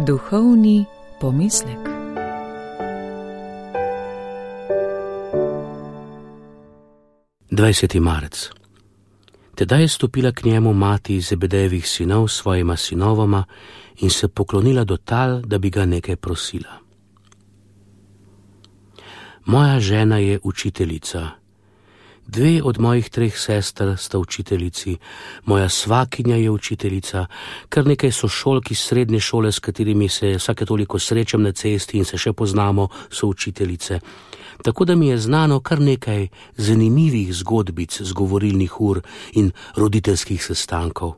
Duhovni pomislek. Dvajseti marec. Tedaj je stopila k njemu mati Zebedejevih sinov s svojima sinovoma in se poklonila do tal, da bi ga nekaj prosila. Moja žena je učiteljica. 2 od mojih 3 sester sta učiteljici, moja svakinja je učiteljica, kar nekaj sošolk iz srednje šole, s katerimi se vsake toliko srečam na cesti in se še poznamo, so učiteljice. Tako da mi je znano kar nekaj zanimivih zgodbic z govorilnih ur in roditeljskih sestankov,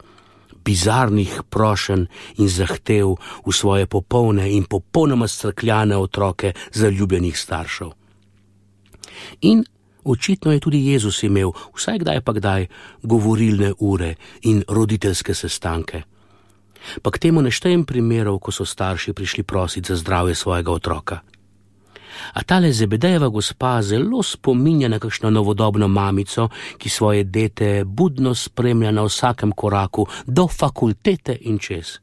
bizarnih prošenj in zahtev v svoje popolne in popolnoma strkljane otroke zaljubljenih staršev. In očitno je tudi Jezus imel, vsaj kdaj pa kdaj, govorilne ure in roditeljske sestanke. Pa k temu ne štejem primerov, ko so starši prišli prositi za zdravje svojega otroka. A tale Zebedejeva gospa zelo spominja na kakšno novodobno mamico, ki svoje dete budno spremlja na vsakem koraku do fakultete in čez.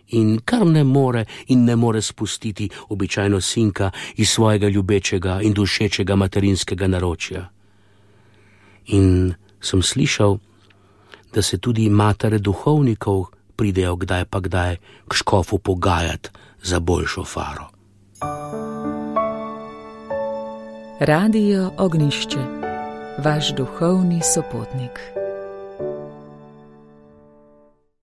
In kar ne more spustiti običajno sinka iz svojega ljubečega in dušečega materinskega naročja. In sem slišal, da se tudi matere duhovnikov pridejo kdaj pa kdaj k škofu pogajati za boljšo faro. Radio Ognjišče, vaš duhovni sopotnik.